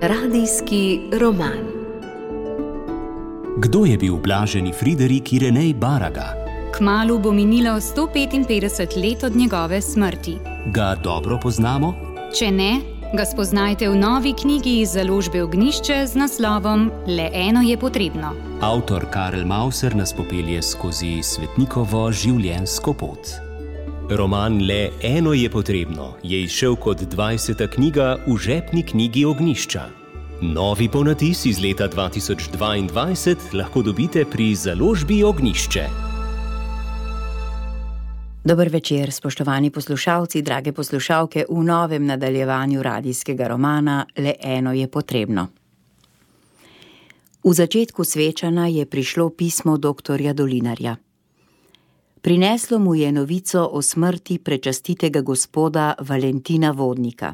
Radijski roman. Kdo je bil blaženi Friderik Irenej Baraga? Kmalu bo minilo 155 let od njegove smrti. Ga dobro poznamo? Če ne, ga spoznajte v novi knjigi iz založbe Ognjišče z naslovom Le eno je potrebno. Avtor Karel Mauser nas popelje skozi svetnikovo življenjsko pot. Roman Le eno je potrebno je izšel kot 20. knjiga v žepni knjigi Ognjišča. Novi ponatis iz leta 2022 lahko dobite pri založbi Ognjišče. Dober večer, spoštovani poslušalci, drage poslušalke, v novem nadaljevanju radijskega romana Le eno je potrebno. V začetku svečanja je prišlo pismo doktorja Dolinarja. Prineslo mu je novico o smrti prečastitega gospoda Valentina Vodnika.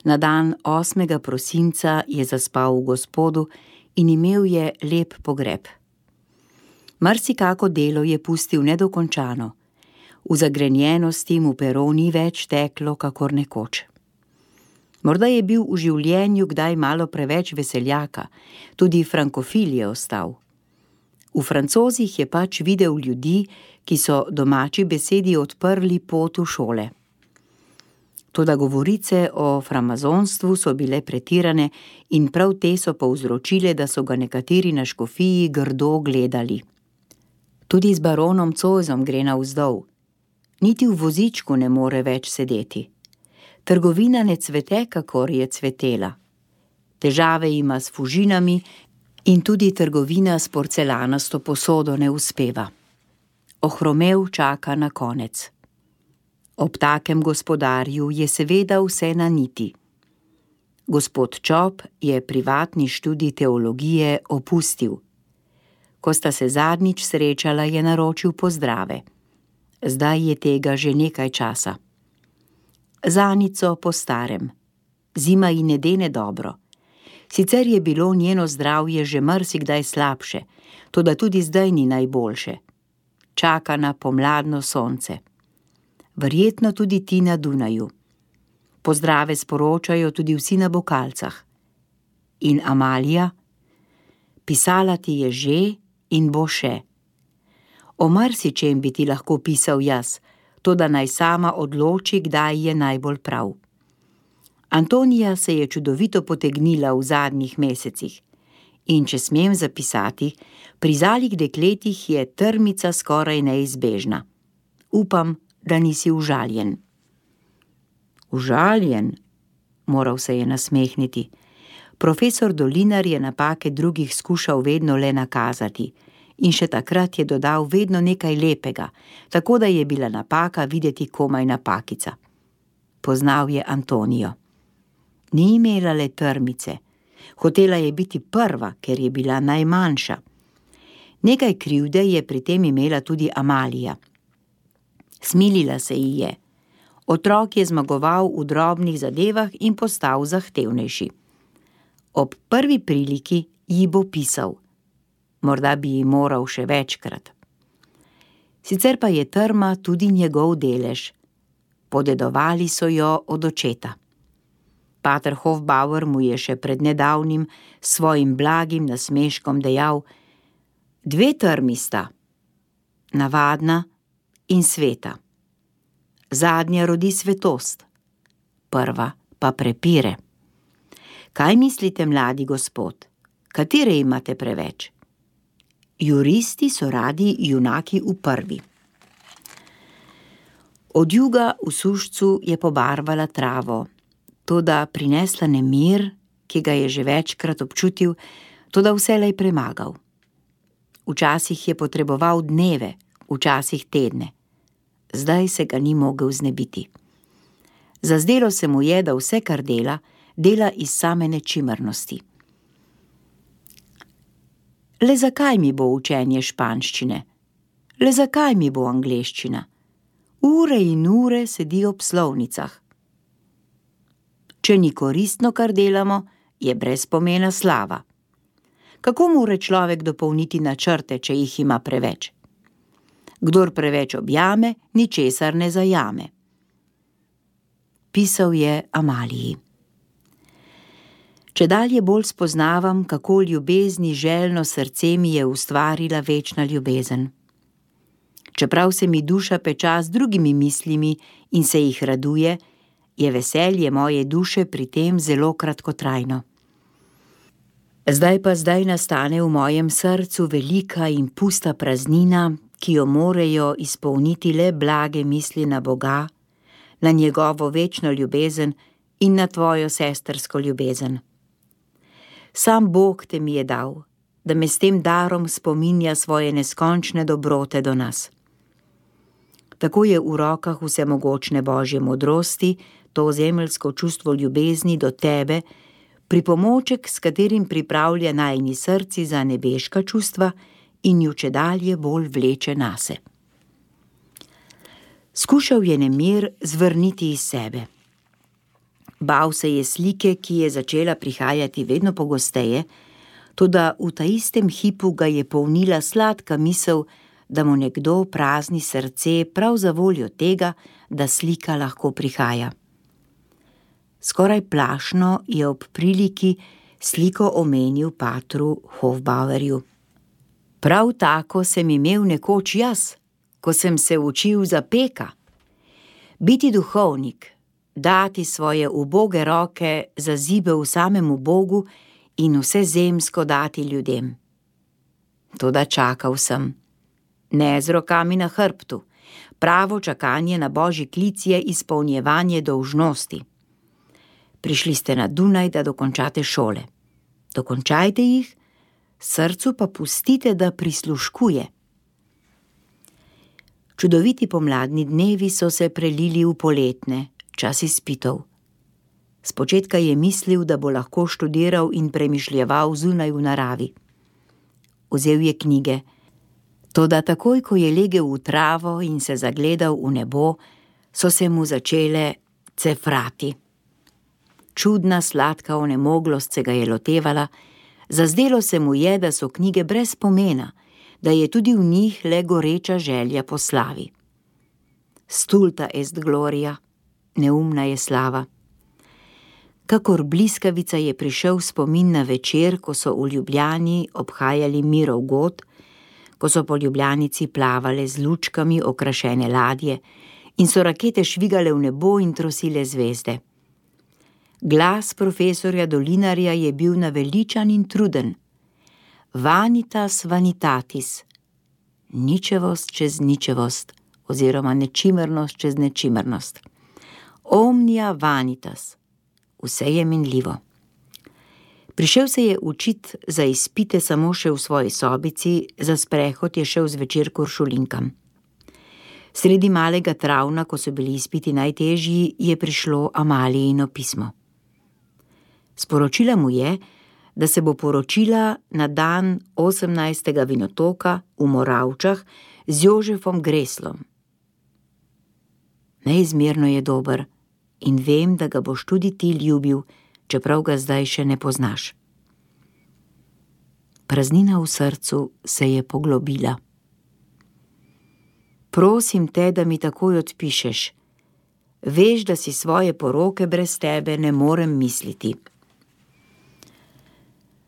Na dan 8. prosinca je zaspal v Gospodu in imel je lep pogreb. Marsikako delo je pustil nedokončano. V zagrenjenosti mu pero ni več teklo, kakor nekoč. Morda je bil v življenju kdaj malo preveč veseljaka, tudi frankofil je ostal. V Francozih je pač videl ljudi, ki so domači besedi odprli pot v šole. Toda govorice o framazonstvu so bile pretirane in prav te so povzročile, da so ga nekateri na škofiji grdo gledali. Tudi z baronom Zoisom gre navzdol. Niti v vozičku ne more več sedeti. Trgovina ne cvete, kakor je cvetela. Težave ima s fužinami in tudi trgovina s porcelanasto posodo ne uspeva. Ohromev čaka na konec. Ob takem gospodarju je seveda vse na niti. Gospod Čop je privatni študij teologije opustil. Ko sta se zadnjič srečala, je naročil pozdrave. Zdaj je tega že nekaj časa. Zanico po starem. Zima ji ne dene dobro. Sicer je bilo njeno zdravje že marsikdaj slabše, toda tudi zdaj ni najboljše. Čaka na pomladno sonce. Verjetno tudi ti na Dunaju. Pozdrave sporočajo tudi vsi na Bokalcah. In Amalija? Pisala ti je že in bo še. O marsičem bi ti lahko pisal jaz, toda naj sama odloči, kdaj je najbolj prav. Antonija se je čudovito potegnila v zadnjih mesecih. In če smem zapisati, pri zalih dekletih je trmica skoraj neizbežna. Upam, da nisi užaljen. Užaljen? Moral se je nasmehniti. Profesor Dolinar je napake drugih skušal vedno le nakazati. In še takrat je dodal vedno nekaj lepega, tako da je bila napaka videti komaj napakica. Poznal je Antonijo. Ni imela le trmice. Hotela je biti prva, ker je bila najmanjša. Nekaj krivde je pri tem imela tudi Amalija. Smilila se ji je. Otrok je zmagoval v drobnih zadevah in postal zahtevnejši. Ob prvi priliki ji bo pisal. Morda bi ji moral še večkrat. Sicer pa je trma tudi njegov delež. Podedovali so jo od očeta. Pater Hofbauer mu je še pred nedavnim svojim blagim nasmeškom dejal: 2 trmi sta, navadna in sveta. Zadnja rodi svetost, prva pa prepire. Kaj mislite, mladi gospod? Katere imate preveč? Juristi so radi junaki v prvi. Od juga v sušcu je pobarvala travo, toda prinesla nemir, ki ga je že večkrat občutil, toda vselej premagal. Včasih je potreboval dneve, včasih tedne. Zdaj se ga ni mogel znebiti. Zazdelo se mu je, da vse, kar dela, dela iz same nečimrnosti. Le zakaj mi bo učenje španščine? Le zakaj mi bo angleščina? Ure in ure sedi ob slovnicah. Če ni koristno, kar delamo, je brez pomena slava. Kako more človek dopolniti načrte, če jih ima preveč? Kdor preveč objame, ničesar ne zajame. Pisal je Amaliji. Čedalje bolj spoznavam, kako ljubezni željno srce mi je ustvarila večna ljubezen. Čeprav se mi duša peča z drugimi mislimi in se jih raduje, je veselje moje duše pri tem zelo kratkotrajno. Zdaj nastane v mojem srcu velika in pusta praznina, ki jo morejo izpolniti le blage misli na Boga, na njegovo večno ljubezen in na tvojo sestrsko ljubezen. Sam Bog te mi je dal, da me s tem darom spominja svoje neskončne dobrote do nas. Tako je v rokah vsemogočne Božje modrosti to zemeljsko čustvo ljubezni do tebe, pripomoček, s katerim pripravlja najini srci za nebeška čustva in ju čedalje bolj vleče nase. Skušal je nemir zvrniti iz sebe. Bal se je slike, ki je začela prihajati vedno pogosteje, toda v ta istem hipu ga je polnila sladka misel, da mu nekdo prazni srce prav za voljo tega, da slika lahko prihaja. Skoraj plašno je ob priliki sliko omenil patru Hofbauerju. Prav tako sem imel nekoč jaz, ko sem se učil za peka. Biti duhovnik, dati svoje uboge roke za zibel samemu Bogu in vse zemsko dati ljudem. Toda čakal sem. Ne z rokami na hrbtu. Pravo čakanje na Božji klic je izpolnjevanje dolžnosti. Prišli ste na Dunaj, da dokončate šole. Dokončajte jih, srcu pa pustite, da prisluškuje. Čudoviti pomladni dnevi so se prelili v poletne, čas izpitov. Spočetka je mislil, da bo lahko študiral in premišljeval zunaj v naravi. Vzel je knjige, toda takoj, ko je legel v travo in se zagledal v nebo, so se mu začele cefrati. Čudna, sladka onemoglost se ga je lotevala, zazdelo se mu je, da so knjige brez pomena, da je tudi v njih le goreča želja po slavi. Stulta est gloria, neumna je slava. Kakor bliskavica je prišel spomin na večer, ko so v Ljubljani obhajali Mirov god, ko so po Ljubljanici plavale z lučkami okrašene ladje in so rakete švigale v nebo in trosile zvezde. Glas profesorja Dolinarja je bil naveličan in truden. Vanitas vanitatis, ničevost čez ničevost, oziroma nečimernost čez nečimernost. Omnia vanitas, vse je minljivo. Prišel se je učit za izpite samo še v svoji sobici, za sprehod je šel zvečer k uršulinkam. Sredi malega travna, ko so bili izpiti najtežji, je prišlo Amalijino pismo. Sporočila mu je, da se bo poročila na dan 18. vinotoka v Moravčah z Jožefom Greslom. Neizmerno je dober in vem, da ga boš tudi ti ljubil, čeprav ga zdaj še ne poznaš. Praznina v srcu se je poglobila. Prosim te, da mi takoj odpišeš. Veš, da si svoje poroke brez tebe ne morem misliti.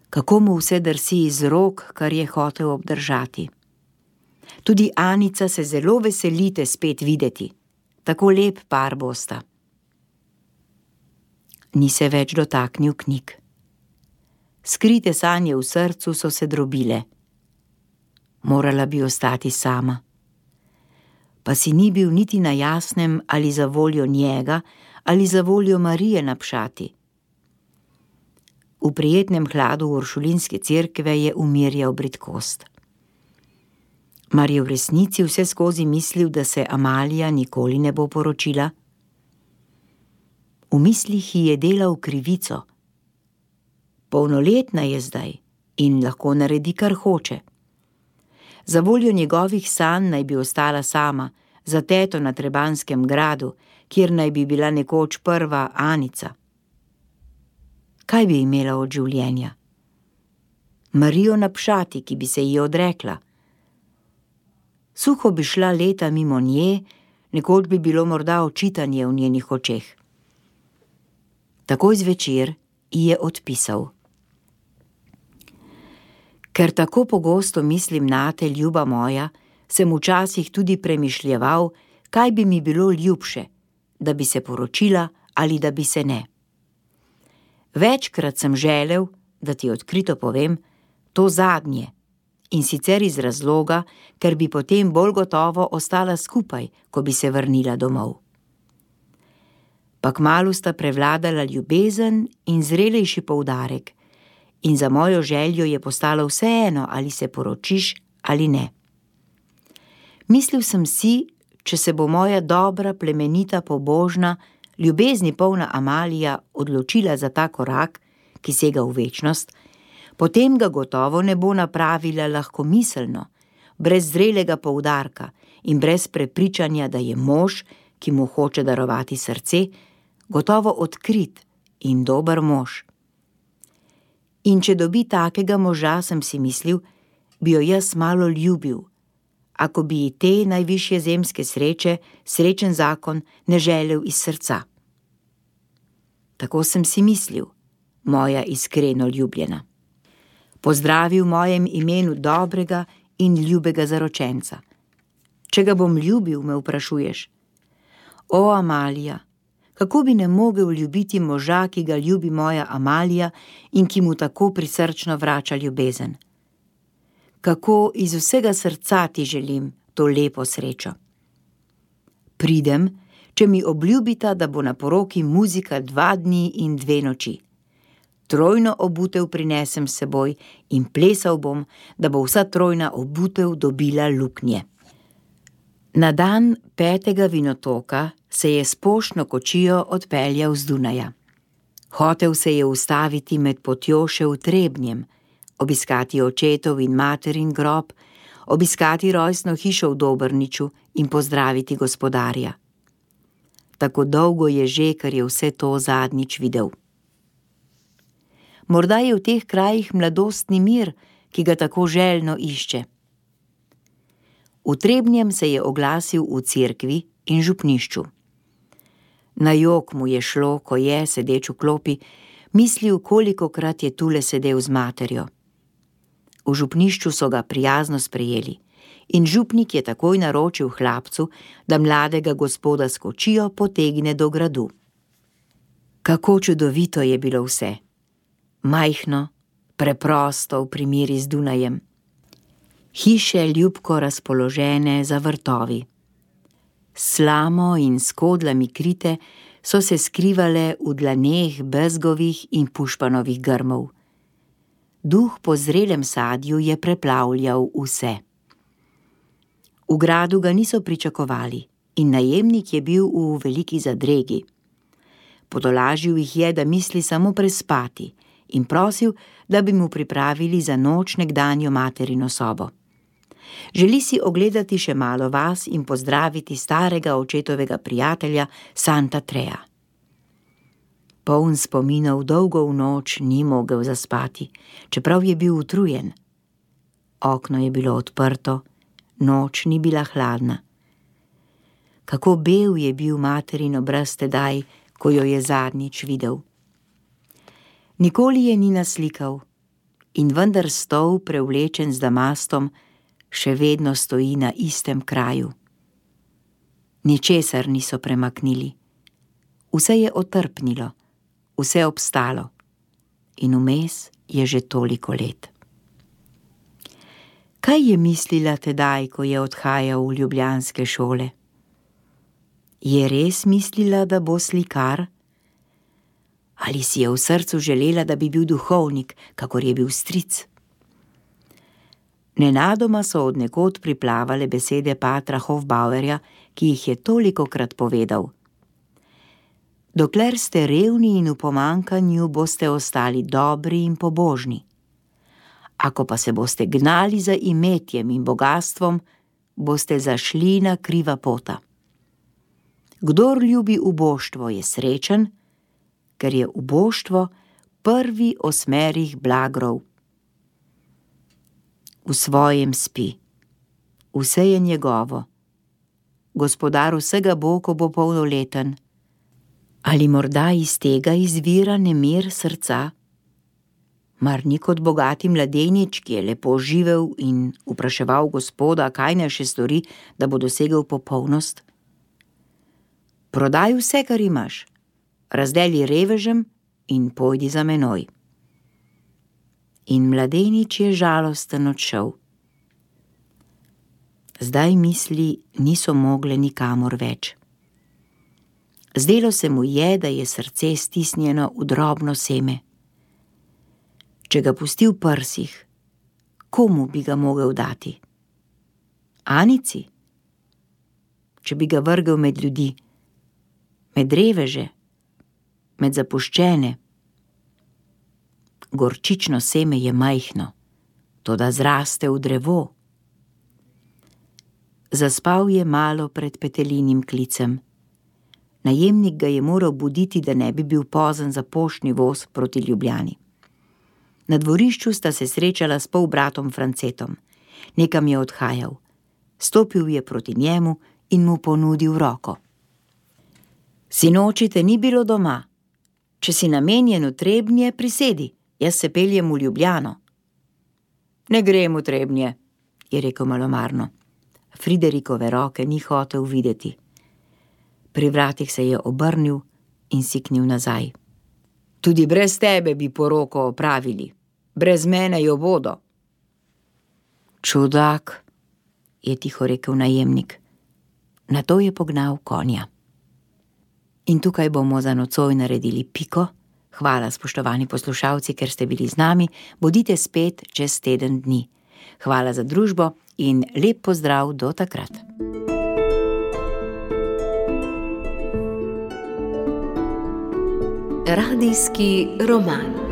Kako mu vse drsi iz rok, kar je hotel obdržati. Tudi Anica se zelo veselite spet videti. Tako lep par bosta. Ni se več dotaknil knjig. Skrite sanje v srcu so se drobile. Morala bi ostati sama. Pa si ni bil niti na jasnem, ali za voljo njega, ali za voljo Marije napšati. V prijetnem hladu uršulinske cerkve je umirjal bridkost. Mar je v resnici vse skozi mislil, da se Amalija nikoli ne bo poročila? V mislih ji je delal krivico. Polnoletna je zdaj in lahko naredi, kar hoče. Za voljo njegovih sanj naj bi ostala sama, za teto na Trebanskem gradu, kjer naj bi bila nekoč prva Anica. Kaj bi imela od življenja? Marijo napšati, ki bi se ji odrekla. Suho bi šla leta mimo nje, nekoč bi bilo morda očitanje v njenih očeh. Takoj zvečer ji je odpisal: Ker tako pogosto mislim nate, ljuba moja, sem včasih tudi premišljeval, kaj bi mi bilo ljubše, da bi se poročila ali da bi se ne. Večkrat sem želel, da ti odkrito povem, to zadnje, in sicer iz razloga, ker bi potem bolj gotovo ostala skupaj, ko bi se vrnila domov. Pa kmalu sta prevladala ljubezen in zrelejši poudarek, in za mojo željo je postalo vseeno, ali se poročiš ali ne. Mislil sem si, če se bo moja dobra, plemenita, pobožna, ljubezni polna Amalija odločila za ta korak, ki sega v večnost, potem ga gotovo ne bo napravila lahkomiselno, brez zrelega poudarka in brez prepričanja, da je mož, ki mu hoče darovati srce, gotovo odkrit in dober mož. In če dobi takega moža, sem si mislil, bi jo jaz malo ljubil, ako bi ji te najvišje zemske sreče, srečen zakon, ne želel iz srca. Tako sem si mislil, moja iskreno ljubljena. Pozdravi v mojem imenu dobrega in ljubega zaročenca. Če ga bom ljubil, me vprašuješ. O, Amalija, kako bi ne mogel ljubiti moža, ki ga ljubi moja Amalija in ki mu tako prisrčno vrača ljubezen? Kako iz vsega srca ti želim to lepo srečo. Pridem, če mi obljubita, da bo na poroki muzika 2 dni in 2 noči. Trojno obutev prinesem s seboj in plesal bom, da bo vsa trojna obutev dobila luknje. Na dan 5. vinotoka se je s poštno kočijo odpeljal z Dunaja. Hotel se je ustaviti med potjo še v Trebnjem, obiskati očetov in materin grob, obiskati rojstno hišo v Dobrniču in pozdraviti gospodarja. Tako dolgo je že, ker je vse to zadnjič videl. Morda je v teh krajih mladostni mir, ki ga tako željno išče. V Trebnjem se je oglasil v cerkvi in župnišču. Na jok mu je šlo, ko je, sedeč v klopi, mislil, kolikokrat je tule sedel z materjo. V župnišču so ga prijazno sprejeli in župnik je takoj naročil hlapcu, da mladega gospoda s kočijo potegne do gradu. Kako čudovito je bilo vse. Majhno, preprosto v primeri z Dunajem. Hiše ljubko razpoložene za vrtovi. S slamo in s kodlami krite so se skrivale v dlaneh bezgovih in pušpanovih grmov. Duh po zrelem sadju je preplavljal vse. V gradu ga niso pričakovali in najemnik je bil v veliki zadregi. Potolažil jih je, da misli samo prespati in prosil, da bi mu pripravili za noč nekdanjo materino sobo. Želi si ogledati še malo vas in pozdraviti starega očetovega prijatelja Santa Trea. Poln spominov dolgo v noč ni mogel zaspati, čeprav je bil utrujen. Okno je bilo odprto, noč ni bila hladna. Kako bel je bil materin obraz tedaj, ko jo je zadnjič videl. Nikoli je ni naslikal in vendar stol, prevlečen z damastom, še vedno stoji na istem kraju. Ničesar niso premaknili. Vse je otrpnilo, vse obstalo in vmes je že toliko let. Kaj je mislila tedaj, ko je odhajal v ljubljanske šole? Je res mislila, da bo slikar? Ali si je v srcu želela, da bi bil duhovnik, kakor je bil stric? Nenadoma so od nekod priplavale besede patra Hofbauerja, ki jih je tolikokrat povedal. Dokler ste revni in v pomankanju, boste ostali dobri in pobožni. Ako pa se boste gnali za imetjem in bogastvom, boste zašli na kriva pota. Kdor ljubi uboštvo, je srečen, ker je uboštvo prvi osmerih blagrov. V svojem spi. Vse je njegovo. Gospodar vsega bo, ko bo polnoleten. Ali morda iz tega izvira nemir srca? Mar ni kot bogati mladenič, ki je lepo živel in vpraševal Gospoda, kaj naj še stori, da bo dosegel popolnost? Prodaj vse, kar imaš, razdeli revežem in pojdi za menoj. In mladenič je žalosten odšel. Zdaj misli niso mogle nikamor več. Zdelo se mu je, da je srce stisnjeno v drobno seme. Če ga pusti v prsih, komu bi ga mogel dati? Anici? Če bi ga vrgel med ljudi, med reveže, med zapuščene? Gorčično seme je majhno, toda zraste v drevo. Zaspal je malo pred Petelinim klicem. Najemnik ga je moral buditi, da ne bi bil pozen za poštni voz proti Ljubljani. Na dvorišču sta se srečala s polbratom Francetom. Nekam je odhajal. Stopil je proti njemu in mu ponudil roko. Sinoči te ni bilo doma. Če si namenjen v Trebnje, prisedi, jaz se peljem v Ljubljano. Ne grem v Trebnje, je rekel malomarno. Friderikove roke ni hotel videti. Pri vratih se je obrnil in siknil nazaj. Tudi brez tebe bi poroko opravili. Brez mene jo bodo. Čudak, je tiho rekel najemnik. Nato je pognal konja. In tukaj bomo za nocoj naredili piko. Hvala, spoštovani poslušalci, ker ste bili z nami. Bodite spet čez teden dni. Hvala za družbo in lep pozdrav do takrat. Radijski roman.